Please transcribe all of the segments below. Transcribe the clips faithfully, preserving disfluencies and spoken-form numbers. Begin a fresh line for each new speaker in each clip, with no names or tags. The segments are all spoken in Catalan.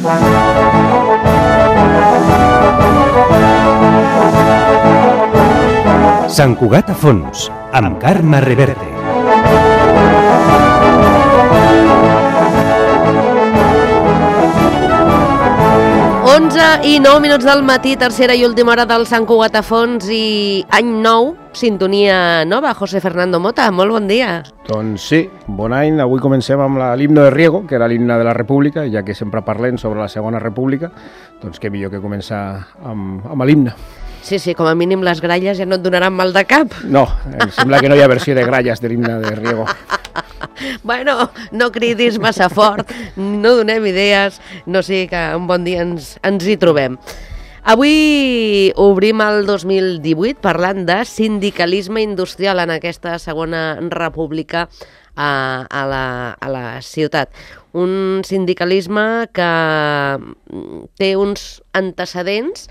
Sant Cugat a fons, amb Carme Reverte.
onze i nou minuts del matí, tercera i última hora del Sant Cugat a fons i any nou, sintonia nova. José Fernando Mota, molt bon dia.
Doncs sí, bon any. Avui comencem amb l'himne de Riego, que era l'himne de la República, ja que sempre parlem sobre la Segona República, doncs què millor que començar amb, amb l'himne.
Sí, sí, com a mínim les gralles ja no et donaran mal de cap.
No, em sembla que no hi ha versió de gralles de l'himne de Riego.
Bueno, no cridis massa fort, no donem idees, no sé que un bon dia ens, ens hi trobem. Avui obrim el dos mil divuit parlant de sindicalisme industrial en aquesta Segona República a, a, la, a la ciutat. Un sindicalisme que té uns antecedents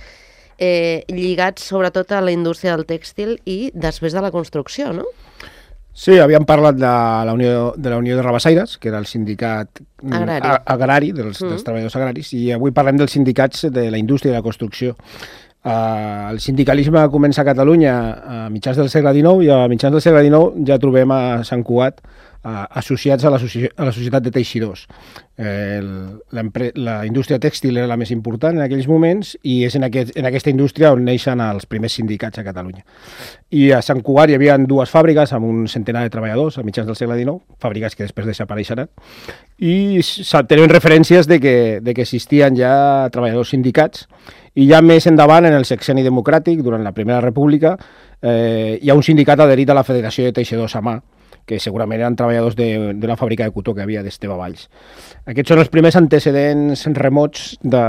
eh, lligats sobretot a la indústria del tèxtil i després de la construcció, no?
Sí, havíem parlat de la Unió de, la Unió de Rabassaires, que era el sindicat
agrari,
agrari dels, mm. dels treballadors agraris, i avui parlem dels sindicats de la indústria i de la construcció. Uh, el sindicalisme comença a Catalunya a mitjans del segle dinou i a mitjans del segle dinou ja trobem a Sant Cugat uh, associats a la, a la societat de teixidors. Eh, la indústria tèxtil era la més important en aquells moments i és en, aquest, en aquesta indústria on neixen els primers sindicats a Catalunya. I a Sant Cugat hi havia dues fàbriques amb un centenar de treballadors a mitjans del segle dinou, fàbriques que després desapareixeran, i tenen referències de que, de que existien ja treballadors sindicats. I ja més endavant, en el sexenni democràtic, durant la Primera República, eh, hi ha un sindicat adherit a la Federació de Teixidors a mà, que segurament eren treballadors d'una fàbrica de cotó que havia d'Esteve Valls. Aquests són els primers antecedents remots de,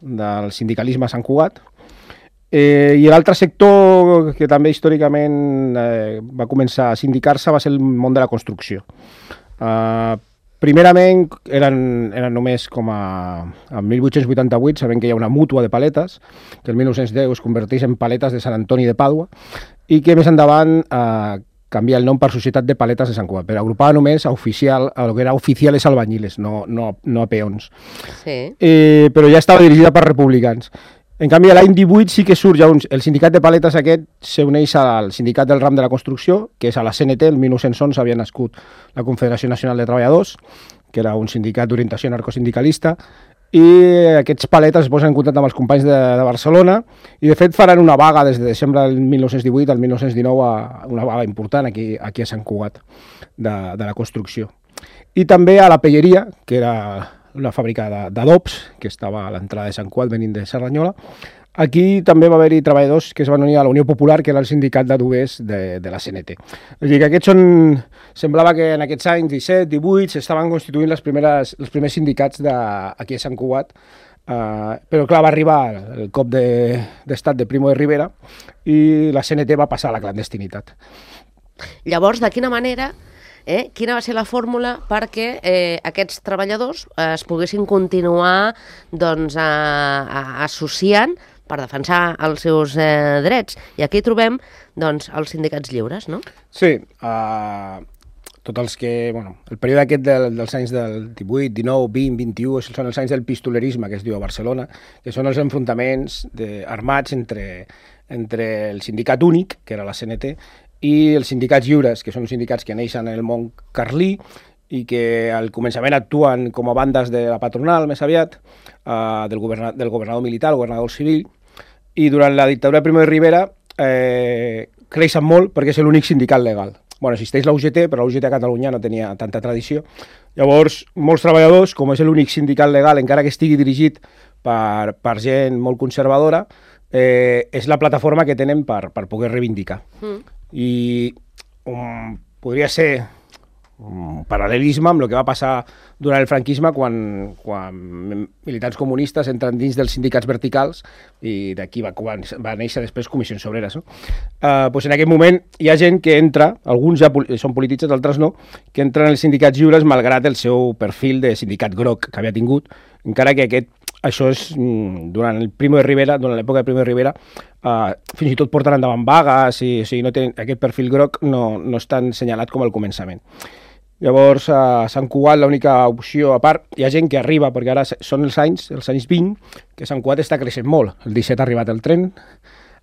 del sindicalisme a Sant Cugat. Eh, I l'altre sector que també històricament eh, va començar a sindicar-se va ser el món de la construcció. Eh, Primerament eren, eren només com a... En mil vuit-cents vuitanta-vuit sabem que hi ha una mútua de paletes, que el mil nou-cents deu es converteix en Paletes de Sant Antoni de Pàdua, i que més endavant eh, canvia el nom per Societat de Paletes de Sant Cugat, però agrupava només a oficial, a lo que era oficiales albañiles, no, no, no a peons.
Sí.
Eh, però ja estava dirigida per republicans. En canvi, l'any divuit sí que surt ja un, el sindicat de paletes aquest s'uneix al sindicat del ram de la construcció, que és a la C N T, el mil nou-cents onze havia nascut la Confederació Nacional de Treballadors, que era un sindicat d'orientació anarcosindicalista, i aquests paletes es posen en contacte amb els companys de, de Barcelona i de fet faran una vaga des de desembre del mil nou-cents divuit al mil nou-cents dinou, a una vaga important aquí, aquí a Sant Cugat de, de la construcció. I també a la Pelleria, que era una fàbrica d'adobs que estava a l'entrada de Sant Cugat venint de Cerdanyola. Aquí també va haver-hi treballadors que es van unir a la Unió Popular, que era el sindicat d'adobers de, de la C N T. És a dir, que aquests són... Semblava que en aquests anys disset, divuit s'estaven constituint les primeres, els primers sindicats de, aquí a Sant Cugat, uh, però clar, va arribar el cop d'estat de, de Primo de Rivera i la C N T va passar a la clandestinitat.
Llavors, de quina manera... Eh? Quina va ser la fórmula perquè eh, aquests treballadors eh, es poguessin continuar doncs, a, a, associant per defensar els seus eh, drets? I aquí trobem doncs, els sindicats lliures, no?
Sí, uh, tots els que... Bueno, el període aquest del, dels anys del divuit, dinou, vint, vint-i-u són els anys del pistolerisme, que es diu a Barcelona, que són els enfrontaments de, armats entre, entre el sindicat únic, que era la C N T, i els sindicats lliures, que són sindicats que neixen en el món carlí i que al començament actuen com a bandes de la patronal, més aviat, eh, del, governador, del governador militar, el governador civil, i durant la dictadura de Primo de Rivera eh, creixen molt perquè és l'únic sindicat legal. Bueno, existeix la U G T, però la U G T a Catalunya no tenia tanta tradició. Llavors, molts treballadors, com és l'únic sindicat legal, encara que estigui dirigit per, per gent molt conservadora, eh, és la plataforma que tenen per, per poder reivindicar. Mm. I um, podria ser un paral·lelisme amb el que va passar durant el franquisme quan, quan militants comunistes entren dins dels sindicats verticals i d'aquí va, va néixer després Comissions Obreres. No? Uh, doncs en aquest moment hi ha gent que entra, alguns ja són polititzats, altres no, que entren als sindicats lliures malgrat el seu perfil de sindicat groc que havia tingut, encara que aquest això és, durant el Primo de Rivera, durant l'època de Primo de Rivera, uh, fins i tot porten endavant vagues, i, o sigui, no tenen, aquest perfil groc no, no és tan assenyalat com al començament. Llavors, a Sant Cugat l'única opció, a part, hi ha gent que arriba, perquè ara són els anys, els anys vint, que Sant Cugat està creixent molt. El disset ha arribat el tren,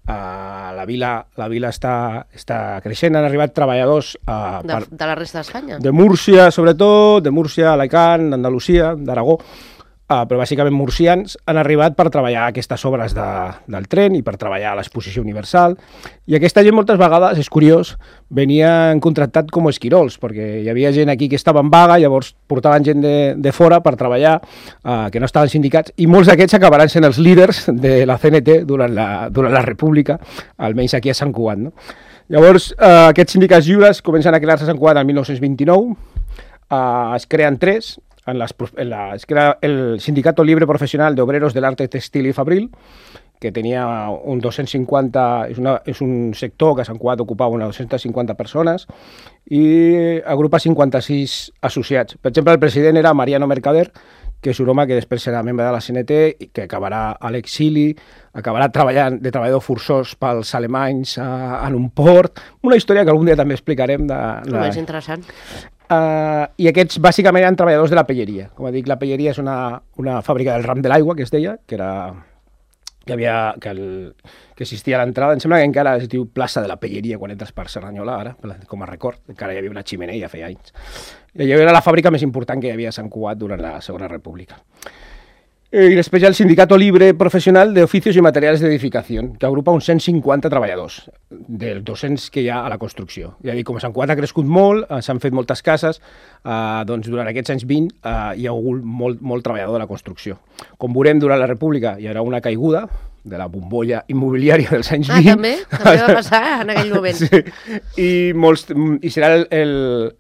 uh, la vila, la vila està, està creixent, han arribat treballadors... Uh,
de, per, de la resta d'Espanya?
De Múrcia, sobretot, de Múrcia, Alacant, d'Andalusia, d'Aragó, Uh, però bàsicament murcians han arribat per treballar aquestes obres de, del tren i per treballar a l'exposició universal, i aquesta gent moltes vegades, és curiós, venien contractat com a esquirols, perquè hi havia gent aquí que estava en vaga, llavors portaven gent de, de fora per treballar, uh, que no estaven sindicats, i molts d'aquests acabaran sent els líders de la C N T durant la, durant la República, almenys aquí a Sant Cugat, no? Llavors, uh, aquests sindicats lliures comencen a crear-se a Sant Cugat el mil nou-cents vint-i-nou, uh, es creen tres, en las, en la, es crea el Sindicato Libre Profesional de Obreros del Arte Textil y Fabril, que tenia un dos-cents cinquanta, és, una, és un sector que a Sant Cugat ocupava unes dos-centes cinquanta persones i agrupa cinquanta-sis associats. Per exemple, el president era Mariano Mercader, que és un home que després serà membre de la C N T i que acabarà a l'exili, acabarà treballant de treballador forçós pels alemanys a, en un port. Una història que algun dia també explicarem. De, de...
És interessant.
Uh, I aquests bàsicament eren treballadors de la pelleria. Com dic, la pelleria és una, una fàbrica del ram de l'aigua, que es deia, que era que havia que, el, que existia a l'entrada. Em sembla que encara es diu plaça de la pelleria quan entres per Cerdanyola, ara, com a record. Encara hi havia una xemeneia, feia anys. I allò era la fàbrica més important que hi havia a Sant Cugat durant la Segona República. I després hi ha el Sindicato Libre Profesional de Oficios y Materiales de Edificación, que agrupa uns cent cinquanta treballadors, dels dos-cents que hi ha a la construcció. És a dir, com a Sant Cugat ha crescut molt, s'han fet moltes cases, eh, doncs durant aquests anys vint eh, hi ha hagut molt, molt treballador de la construcció. Com veurem, durant la República hi haurà una caiguda de la bombolla immobiliària dels anys
ah,
vint.
Ah, també? També va passar en aquell moment.
Sí. I, molts, i serà el, el,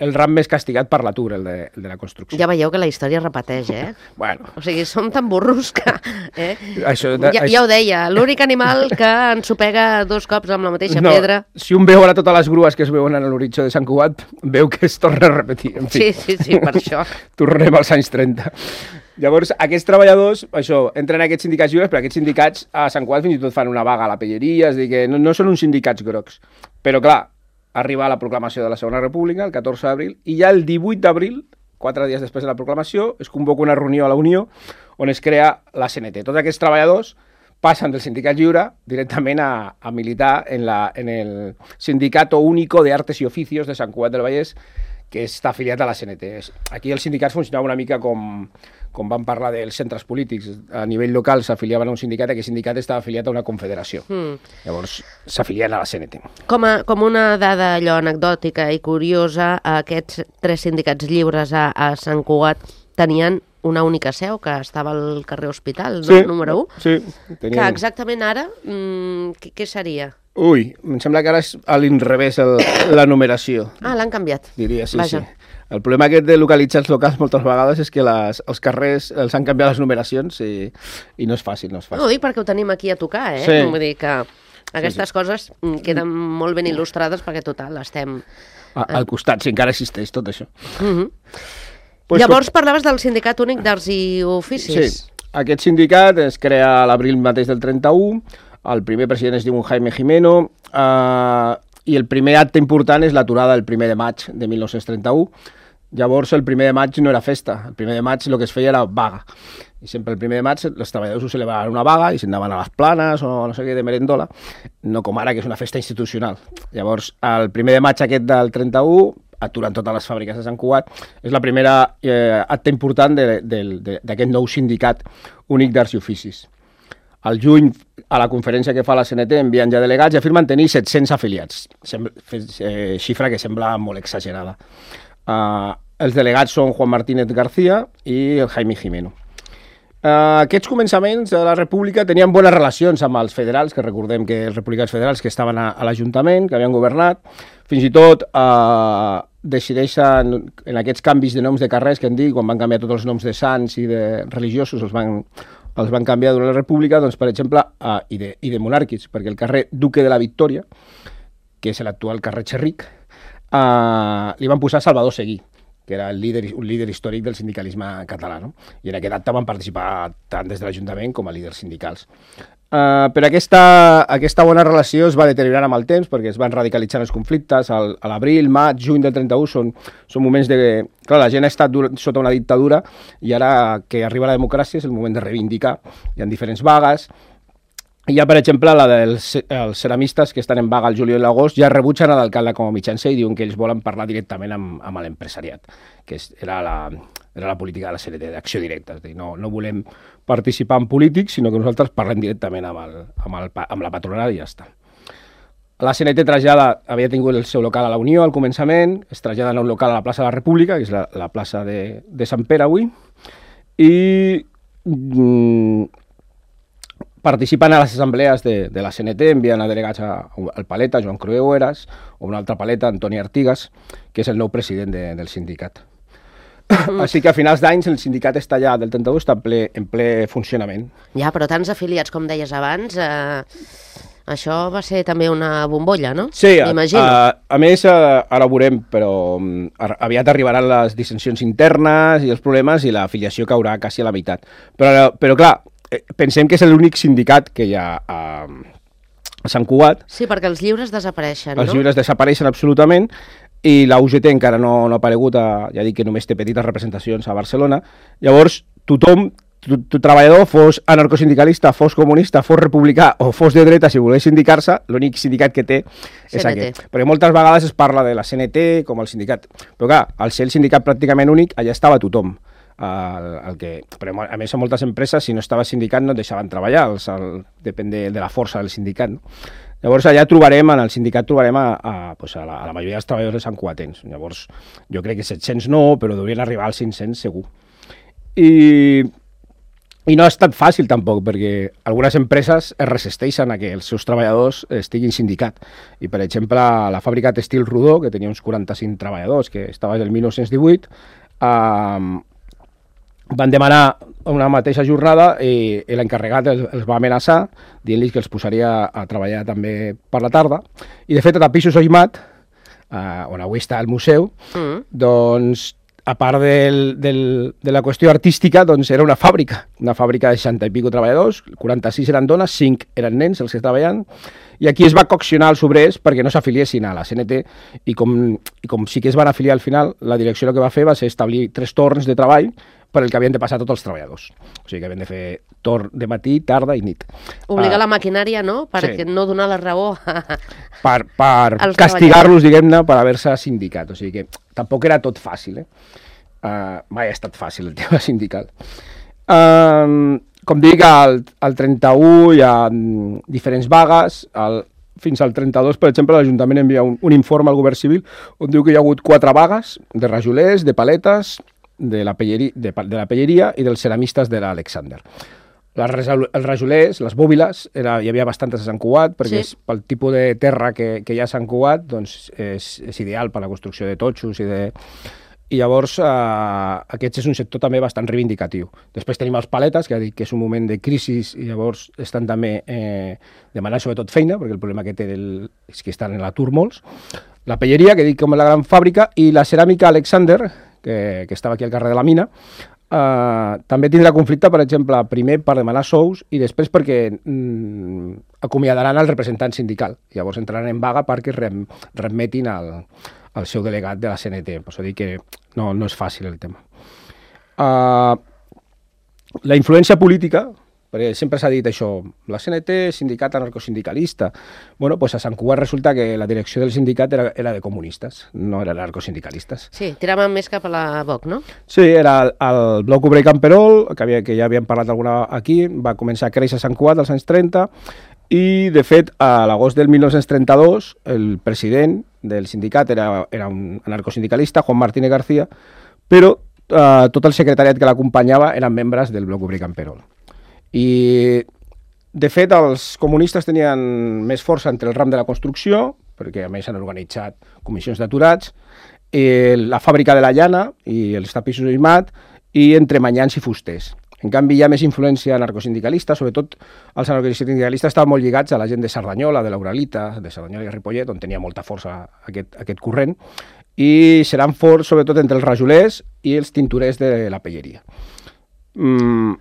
el ram més castigat per l'atur, el, de, el de la construcció.
Ja veieu que la història repeteix, eh?
Bueno.
O sigui, som tan burros que... Eh?
Això, de,
ja,
això...
ja ho deia, l'únic animal que ensopega dos cops amb la mateixa
no,
pedra...
Si un veu ara totes les grues que es veuen a l'horitzó de Sant Cugat, veu que es torna a repetir. En fi.
Sí, sí, sí, per això.
Tornem als anys trenta. Llavors, aquests treballadors, això, entren a aquests sindicats lliures, però aquests sindicats a Sant Cugat fins i tot fan una vaga a la pelleria, és a dir, que no, no són uns sindicats grocs. Però, clar, arriba la proclamació de la Segona República, el catorze d'abril, i ja el divuit d'abril, quatre dies després de la proclamació, es convoca una reunió a la Unió on es crea la C N T. Tots aquests treballadors passen del sindicat lliure directament a, a militar en, la, en el Sindicato Único de Artes y Oficios de Sant Cugat del Vallès, que està afiliat a la C N T. Aquí els sindicats funcionaven una mica com, com van parlar dels centres polítics. A nivell local s'afiliaven a un sindicat i aquest sindicat estava afiliat a una confederació. Mm. Llavors s'afilien a la C N T.
Com, a, com una dada allò anecdòtica i curiosa, aquests tres sindicats lliures a, a Sant Cugat tenien una única seu, que estava al carrer Hospital,
sí,
no? número u.
Sí, tenien...
Que exactament ara, mmm, què, què seria?
Ui, em sembla que ara és a l'inrevés el, la numeració.
Ah, l'han canviat.
Diria, sí,
Vaja.
sí. El problema aquest de localitzar els locals moltes vegades és que les, els carrers els han canviat les numeracions i, i no és fàcil, no és fàcil.
No, ho dic perquè ho tenim aquí a tocar, eh?
Sí.
Vull dir que aquestes
sí, sí.
coses queden molt ben il·lustrades perquè, total, estem...
A, al costat, si encara existeix tot això.
Mm-hmm.
Pues
Llavors
com...
parlaves del Sindicat Únic d'Arts i Oficis.
Sí, aquest sindicat es crea a l'abril mateix del trenta-u, el primer president es diu Jaime Jimeno, eh, i el primer acte important és l'aturada del primer de maig de mil nou-cents trenta-u. Llavors, el primer de maig no era festa, el primer de maig el que es feia era vaga. I sempre el primer de maig els treballadors ho celebraven una vaga i s'anaven a les planes o no sé què de merendola, no com ara, que és una festa institucional. Llavors, el primer de maig aquest del trenta-u, aturen totes les fàbriques de Sant Cugat, és la primera eh, acte important d'aquest nou sindicat únic d'arts i oficis. Al juny, a la conferència que fa la C N T, envien ja delegats i afirmen tenir set-cents afiliats, Sembla, eh, xifra que sembla molt exagerada. Uh, els delegats són Juan Martínez García i el Jaime Jimeno. Uh, aquests començaments de la República tenien bones relacions amb els federals, que recordem que els republicans federals que estaven a, a l'Ajuntament, que havien governat, fins i tot uh, decideixen, en aquests canvis de noms de carrers que han dit, quan van canviar tots els noms de sants i de religiosos, els van, els van canviar durant la República, doncs, per exemple, uh, i, de, i de monàrquics, perquè el carrer Duque de la Victòria, que és l'actual carrer Xerric, uh, li van posar Salvador Seguí, que era el líder, un líder històric del sindicalisme català, no? I en aquest acte van participar tant des de l'Ajuntament com a líders sindicals. Uh, però aquesta, aquesta bona relació es va deteriorar amb el temps perquè es van radicalitzar els conflictes. Al, a l'abril, maig, juny del trenta-u són, són moments de... Clar, la gent ha estat dur, sota una dictadura i ara que arriba la democràcia és el moment de reivindicar. Hi ha diferents vagues. Hi ha, per exemple, la dels els ceramistes que estan en vaga al juliol i l'agost, ja rebutgen a l'alcalde com a mitjancer i diuen que ells volen parlar directament amb, amb l'empresariat, que és, era, la, era la política de la C N T, d'acció directa. És a dir, no, no volem participar en polítics, sinó que nosaltres parlem directament amb, el, amb, el, amb la patronal i ja està. La C N T trasllada, havia tingut el seu local a la Unió al començament, es trasllada a un local a la plaça de la República, que és la, la plaça de, de Sant Pere avui, i mm, participen a les assemblees de, de la C N T, envien a delegats a, al Paleta, Joan Crueu Eras, o un altre Paleta, Antoni Artigas, que és el nou president de, del sindicat. Així que a finals d'anys el sindicat està ja del trenta-u està en ple, en ple funcionament.
Ja, però tants afiliats com deies abans, eh, això va ser també una bombolla, no?
Sí, a, a, a més, a, ara ho veurem, però a, aviat arribaran les dissensions internes i els problemes i l'afiliació caurà quasi a la meitat. Però, però clar, pensem que és l'únic sindicat que hi ha a, a Sant Cugat.
Sí, perquè els lliures desapareixen, no?
Els lliures desapareixen absolutament. I la U G T encara no, no ha aparegut, a, ja dic que només té petites representacions a Barcelona. Llavors, tothom, tu, tu treballador, fos anarcosindicalista, fos comunista, fos republicà o fos de dreta, si volgués sindicar-se, l'únic sindicat que té és aquest. Perquè moltes vegades es parla de la C N T com el sindicat. Però clar, al ser el sindicat pràcticament únic, allà estava tothom. El, el que, però a més, a moltes empreses, si no estava sindicat, no et deixaven treballar, els, el, depèn de, de la força del sindicat, no? Llavors allà trobarem, en el sindicat trobarem a, a, pues a, la, a la majoria dels treballadors de Sant Cugatens. Llavors jo crec que set-cents no, però deurien arribar als cinc-cents segur. I, I no ha estat fàcil tampoc, perquè algunes empreses es resisteixen a que els seus treballadors estiguin sindicat. I per exemple la fàbrica Textil Rodó, que tenia uns quaranta-cinc treballadors, que estava des del mil nou-cents divuit, eh, van demanar una mateixa jornada i, i l'encarregat els, els va amenaçar dient-los que els posaria a treballar també per la tarda. I de fet a Tapissos Oimat, eh, on avui està el museu, mm. doncs a part del, del, de la qüestió artística, doncs era una fàbrica, una fàbrica de seixanta i pico treballadors, quaranta-sis eren dones, cinc eren nens els que treballen, i aquí es va coaccionar els obrers perquè no s'afiliessin a la C N T, i com, i com sí que es van afiliar al final, la direcció el que va fer va ser establir tres torns de treball per el que havien de passar tots els treballadors. O sigui que havien de fer torn de matí, tarda i nit.
Obligar uh, la maquinària, no? Perquè sí. No donar la raó a...
Per, per castigar-los, diguem-ne, per haver-se sindicat. O sigui que tampoc era tot fàcil, eh? Uh, mai ha estat fàcil el tema sindical. Uh, com dic, al, al trenta-u hi ha diferents vagues, al, fins al trenta-dos, per exemple, l'Ajuntament envia un, un informe al Govern Civil on diu que hi ha hagut quatre vagues de rajolers, de paletes, de la, pelleria, de, de la pelleria i dels ceramistes de l'Alexander. Els rajolers, les bòbiles, era, hi havia bastantes a Sant Cugat, perquè sí. És, pel tipus de terra que, que hi ha a Sant Cugat, doncs és, és ideal per a la construcció de totxos i de... I llavors eh, aquest és un sector també bastant reivindicatiu. Després tenim els paletes, que ha dit que és un moment de crisi i llavors estan també eh, demanant sobretot feina, perquè el problema que té el, és que estan en l'atur molts. La pelleria, que dic com la gran fàbrica, i la ceràmica Alexander, que, que estava aquí al carrer de la Mina, eh, també tindrà conflicte, per exemple, primer per demanar sous i després perquè mm, acomiadaran el representant sindical. Llavors entraran en vaga perquè rem, remetin al, al seu delegat de la C N T. Per això dic que no, no és fàcil el tema. Uh, la influència política, perquè sempre s'ha dit això, la C N T, sindicat anarcosindicalista. Bueno, pues a Sant Cugat resulta que la direcció del sindicat era, era de comunistes, no eren anarcosindicalistes.
Sí, tiraven més cap a la V O C, no?
Sí, era el, el bloc obrer Camperol, que, havia, que ja havíem parlat alguna aquí, va començar a créixer a Sant Cugat als anys trenta, i de fet a l'agost del mil nou-cents trenta-dos el president del sindicat era, era un anarcosindicalista, Juan Martínez García, però eh, tot el secretariat que l'acompanyava eren membres del bloc obrer Camperol. I de fet els comunistes tenien més força entre el ram de la construcció, perquè a més han organitzat comissions d'aturats, la fàbrica de la llana i els tapissos Oimat, i entre manyans i fusters. En canvi hi ha més influència anarcosindicalista, sobretot els anarcosindicalistes estaven molt lligats a la gent de Cerdanyola, de l'Uralita, de Cerdanyola i Ripollet, on tenia molta força aquest, aquest corrent, i seran forts sobretot entre els rajolers i els tinturers de la pelleria. Mm,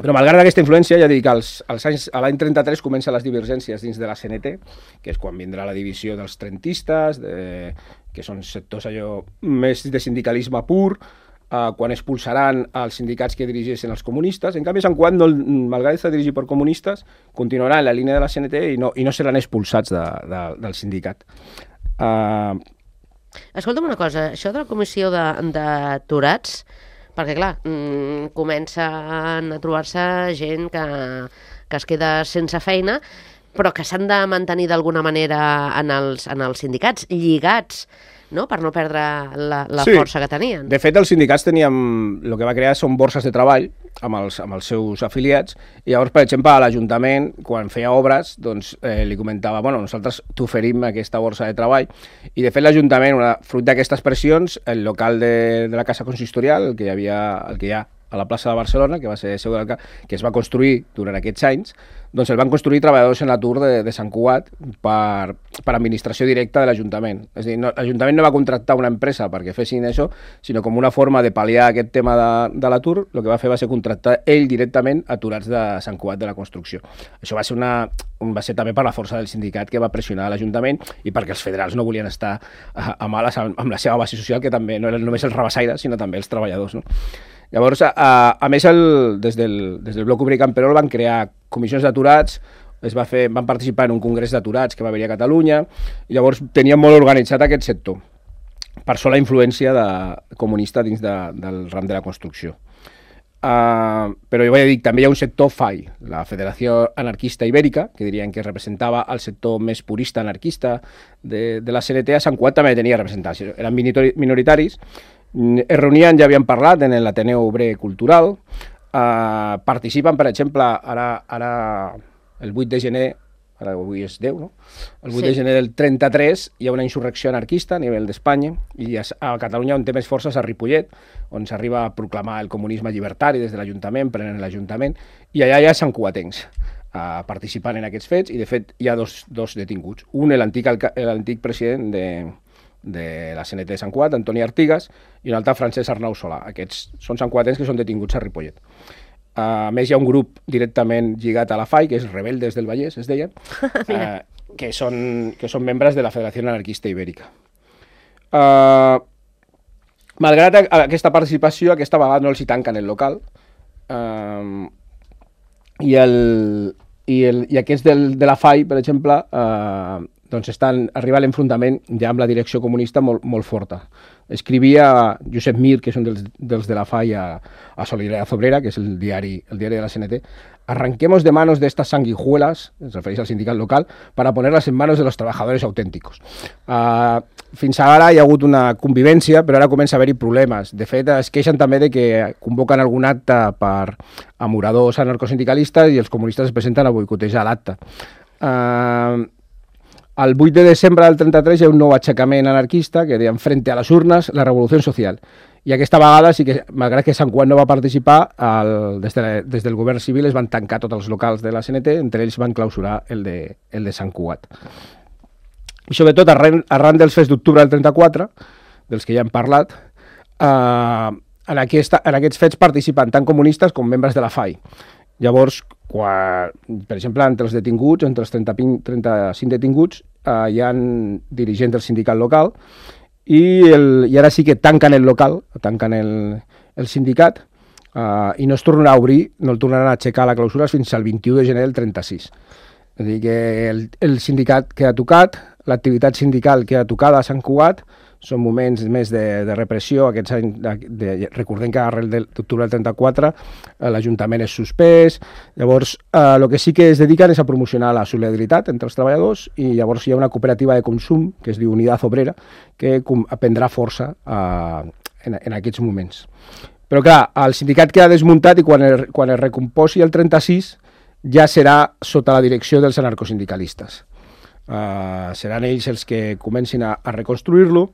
Però malgrat aquesta influència, ja dic, als, als anys, a l'any trenta-tres comencen les divergències dins de la C N T, que és quan vindrà la divisió dels trentistes, de, que són sectors allò més de sindicalisme pur, eh, quan expulsaran els sindicats que dirigeixen els comunistes. En canvi, Sant Cugat, no, malgrat estar dirigit per comunistes, continuarà en la línia de la C N T i no, i no seran expulsats de, de, del sindicat. Uh...
Escolta'm una cosa, això de la comissió d'aturats, perquè, clar, mmm, comencen a trobar-se gent que, que es queda sense feina, però que s'han de mantenir d'alguna manera en els, en els sindicats, lligats, no?, per no perdre la, la sí. força que tenien.
De fet, els sindicats teníem... El que va crear són borses de treball amb els, amb els seus afiliats, i llavors, per exemple, a l'Ajuntament, quan feia obres, doncs eh, li comentava, bueno, nosaltres t'oferim aquesta borsa de treball, i de fet l'Ajuntament, fruit d'aquestes pressions, el local de, de la Casa Consistorial, el que hi havia, el que hi ha a la plaça de Barcelona, que va ser seu del que es va construir durant aquests anys, doncs el van construir treballadors en l'atur de, de Sant Cugat per, per administració directa de l'Ajuntament. És a dir, no, l'Ajuntament no va contractar una empresa perquè fessin això, sinó com una forma de pal·liar aquest tema de, de l'atur, el que va fer va ser contractar ell directament aturats de Sant Cugat de la construcció. Això va ser, una, va ser també per la força del sindicat que va pressionar l'Ajuntament i perquè els federals no volien estar a, a males amb la seva base social, que també no eren només els rabassaires, sinó també els treballadors, no? Llavors, a, a més, el, des, del, des del bloc obrer Camperol van crear comissions d'aturats, es va fer, van participar en un congrés d'aturats que va haver a Catalunya, i llavors tenien molt organitzat aquest sector, per sola influència de, comunista dins de, del ram de la construcció. Uh, però jo vaig dir, també hi ha un sector F A I, la Federació Anarquista Ibèrica, que dirien que representava el sector més purista anarquista de, de la C N T. A Sant Cugat també tenia representants, eren minoritaris, es reunien, ja havien parlat, en l'Ateneu Obrer Cultural, eh, participen, per exemple, ara, ara el vuit de gener, ara avui és deu, no? El vuit sí. de gener del trenta-tres hi ha una insurrecció anarquista a nivell d'Espanya, i a, a Catalunya on té més forces a Ripollet, on s'arriba a proclamar el comunisme llibertari des de l'Ajuntament, prenen l'Ajuntament, i allà hi ha santcugatencs eh, participant en aquests fets, i de fet hi ha dos, dos detinguts. Un, l'antic president de... de la C N T de Sant Cugat, Antoni Artigas, i un altre, Francesc Arnau Solà. Aquests són santcugatens que són detinguts a Ripollet. Uh, a més, hi ha un grup directament lligat a la F A I, que és Rebeldes del Vallès, es deien, uh, que, són, que són membres de la Federació Anarquista Ibèrica. Uh, malgrat aquesta participació, aquesta vegada no els hi tanquen el local, uh, i, el, i, el, i aquests del, de la F A I, per exemple, uh, doncs estan, arriba a l'enfrontament ja amb la direcció comunista molt, molt forta. Escrivia Josep Mir, que és un dels, dels de la F A I, a, a Solidaridad Obrera, que és el diari, el diari de la C N T, arranquemos de manos de estas sanguijuelas, es refereix al sindicat local, para ponerlas en manos de los trabajadores auténticos. Uh, fins ara hi ha hagut una convivència, però ara comença a haver-hi problemes. De fet, es queixen també de que convoquen algun acte per amoradors anarcosindicalistes i els comunistes es presenten a boicotejar l'acte. Uh, El vuit de desembre del trenta-tres hi ha un nou aixecament anarquista que deien Frente a les urnes, la revolució social. I aquesta vegada, sí que, malgrat que Sant Cugat no va participar, el, des, de, des del govern civil es van tancar tots els locals de la C N T, entre ells van clausurar el de, el de Sant Cugat. I sobretot, arran, arran dels fets d'octubre del trenta-quatre, dels que ja hem parlat, eh, en, aquesta, en aquests fets participen tant comunistes com membres de la F A I. Llavors, quan, per exemple, entre els detinguts, entre els trenta-cinc detinguts, eh, hi ha dirigents del sindicat local i, el, i ara sí que tanquen el local, tanquen el, el sindicat eh, i no es tornarà a obrir, no el tornaran a aixecar la clausura fins al vint-i-u de gener del trenta-sis. És a dir, que el, el sindicat queda tocat, l'activitat sindical queda tocada a Sant Cugat, són moments més de, de repressió, aquests anys, de, de, recordem que arrel de l'octubre del trenta-quatre eh, l'Ajuntament és suspès, llavors eh, el que sí que es dediquen és a promocionar la solidaritat entre els treballadors i llavors hi ha una cooperativa de consum que es diu Unidad Obrera que prendrà força eh, en, en aquests moments. Però clar, el sindicat queda desmuntat i quan, el, quan es recomposi el trenta-sis ja serà sota la direcció dels anarcosindicalistes. Uh, seran ells els que comencin a, a reconstruir-lo,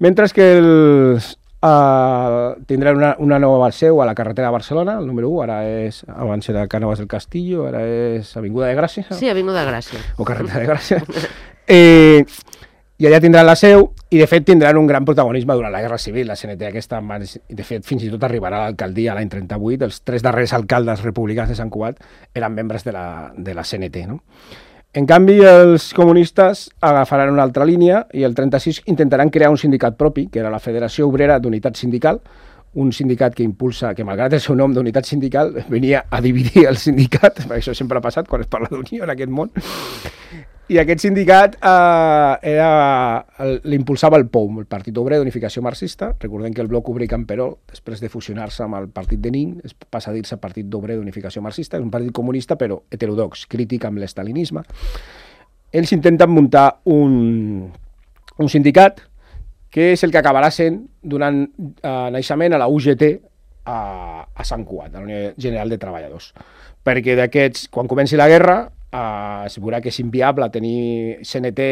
mentre que els, uh, tindran una, una nova seu a la carretera de Barcelona, el número u, ara és, abans era Cànovas del Castillo, ara és Avinguda de Gràcia.
Sí, Avinguda de Gràcia.
O carretera de Gràcia. eh, I allà tindran la seu, I, de fet, tindran un gran protagonisme durant la Guerra Civil. La C N T aquesta, de fet, fins i tot arribarà a l'alcaldia l'any trenta-vuit. Els tres darrers alcaldes republicans de Sant Cugat eren membres de la, de la C N T, no? En canvi, els comunistes agafaran una altra línia i el trenta-sis intentaran crear un sindicat propi, que era la Federació Obrera d'Unitat Sindical, un sindicat que impulsa, que malgrat el seu nom d'unitat sindical, venia a dividir el sindicat, perquè això sempre ha passat quan es parla d'unió en aquest món. I aquest sindicat eh, era, l'impulsava el P O U M, el Partit Obrer d'Unificació Marxista. Recordem que el Bloc Obrer Camperol, després de fusionar-se amb el Partit de Nin, es passa a dir-se Partit d'Obrer d'Unificació Marxista, és un partit comunista però heterodox, crític amb l'estalinisme. Ells intenten muntar un, un sindicat que és el que acabarà sent donant eh, naixement a la U G T a, a Sant Cugat, a la Unió General de Treballadors. Perquè d'aquests, quan comenci la guerra, Uh, es veurà que és inviable tenir C N T,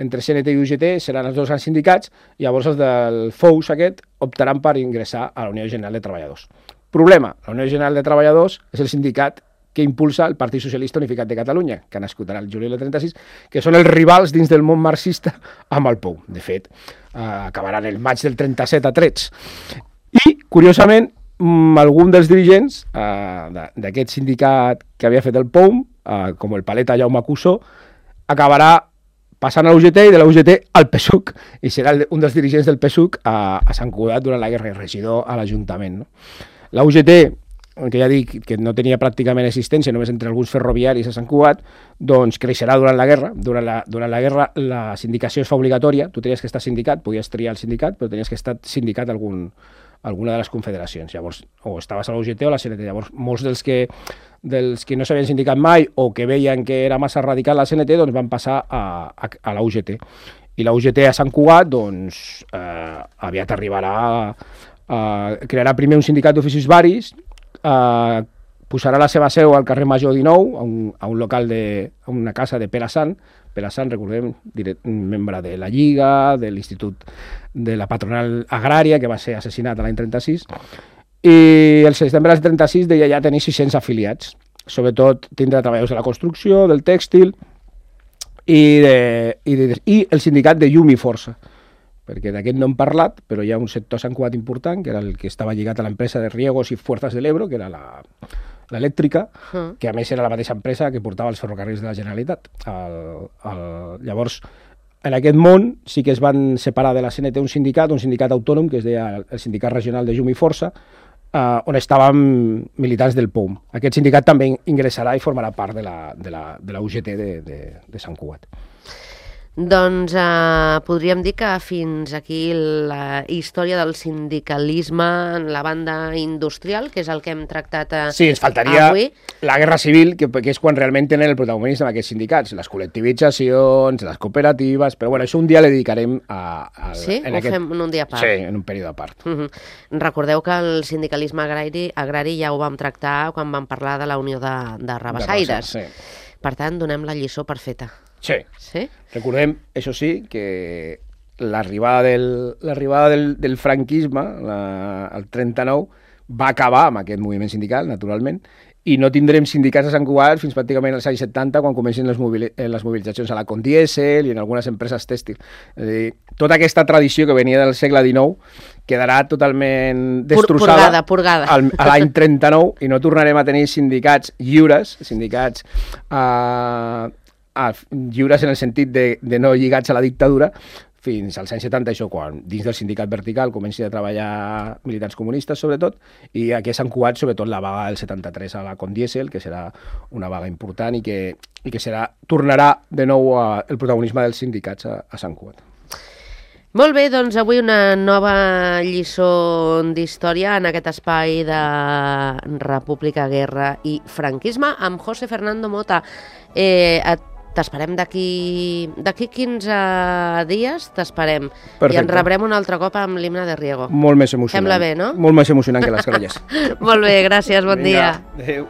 entre C N T i U G T seran els dos grans sindicats, i llavors els del F O U S aquest optaran per ingressar a la Unió General de Treballadors. Problema, la Unió General de Treballadors és el sindicat que impulsa el Partit Socialista Unificat de Catalunya, que ha nascut en el juliol del trenta-sis, que són els rivals dins del món marxista amb el P O U. De fet, uh, acabaran el maig del trenta-set a trets. I, curiosament, algun dels dirigents uh, d'aquest sindicat que havia fet el P O U M, Uh, com el paleta Jaume Cussó, acabarà passant a la U G T i de la U G T al P S U C, i serà un dels dirigents del P S U C a, a Sant Cugat durant la guerra, regidor a l'Ajuntament, no? La U G T, que ja dic que no tenia pràcticament existència, només entre alguns ferroviaris a Sant Cugat, doncs creixerà durant la guerra. Durant la, durant la guerra la sindicació es fa obligatòria, tu tenies que estar sindicat, podies triar el sindicat, però tenies que estar sindicat algun, alguna de les confederacions. Llavors, o estaves a la U G T o a la C N T. Llavors, molts dels que dels que no s'havien sindicat mai o que veien que era massa radical la C N T, doncs van passar a, a, a la U G T. I la U G T a Sant Cugat, doncs, eh, aviat arribarà a, a crearà primer un sindicat d'oficis varis, eh, posarà la seva seu al carrer Major dinou, a un, a un local de, a una casa de Pere Sant. Pere Sant, recordem, membre de la Lliga, de l'Institut de la Patronal Agrària, que va ser assassinat l'any trenta-sis, i el setembre del trenta-sis deia ja tenir sis-cents afiliats, sobretot tindrà treballadors de la construcció, del tèxtil i, de, i, de, i el sindicat de Llum i Força, perquè d'aquest no hem parlat, però hi ha un sector a Sant Cugat important, que era el que estava lligat a l'empresa de Riegos i Fuerzas del Ebro, que era la, l'elèctrica, uh. que a més era la mateixa empresa que portava els ferrocarrils de la Generalitat. El, el, llavors, en aquest món sí que es van separar de la C N T un sindicat, un sindicat autònom, que es deia el Sindicat Regional de Llum i Força, Uh, on estaven militants del P O U M. Aquest sindicat també ingressarà i formarà part de la, de la, de la U G T de, de, de Sant Cugat.
Doncs eh, podríem dir que fins aquí la història del sindicalisme en la banda industrial, que és el que hem tractat eh,
sí, ens faltaria
avui.
La guerra civil, que, que és quan realment tenen el protagonisme aquests sindicats, les col·lectivitzacions, les cooperatives, però bueno, això un dia le dedicarem a... a
sí?
En
Ho
aquest...
fem en un dia a part?
Sí, en un període a part.
Uh -huh. Recordeu que el sindicalisme agrari, agrari ja ho vam tractar quan vam parlar de la Unió de, de Rabassaires.
De Rabassa, sí.
Per tant, donem la lliçó per feta.
Sí.
sí.
Recordem, això sí, que l'arribada del, l'arribada del, del franquisme, la, el trenta-nou, va acabar amb aquest moviment sindical, naturalment, i no tindrem sindicats a Sant Cugat fins pràcticament als anys setanta, quan comencen les, mobili les mobilitzacions a la Condiesel i en algunes empreses tèxtils. És a dir, tota aquesta tradició que venia del segle dinou quedarà totalment destrossada
purgada, purgada.
Al, a l'any trenta-nou, i no tornarem a tenir sindicats lliures, sindicats eh, lliures en el sentit de, de no lligats a la dictadura, fins als anys setanta, això, quan dins del sindicat vertical comenci a treballar militants comunistes, sobretot, i aquí a Sant Cugat, sobretot, la vaga del setanta-tres a la Condiesel, que serà una vaga important i que, i que serà, tornarà de nou a, el protagonisme dels sindicats a, a Sant Cugat.
Molt bé, doncs avui una nova lliçó d'història en aquest espai de República, Guerra i Franquisme amb José Fernando Mota. Eh, T'esperem d'aquí d'aquí quinze dies, t'esperem. I ens rebrem un altre cop amb l'himne de Riego.
Molt més emocionant.
Sembla bé, no?
Molt més emocionant que les grolles.
Molt bé, gràcies, bon
Vinga,
dia.
adéu.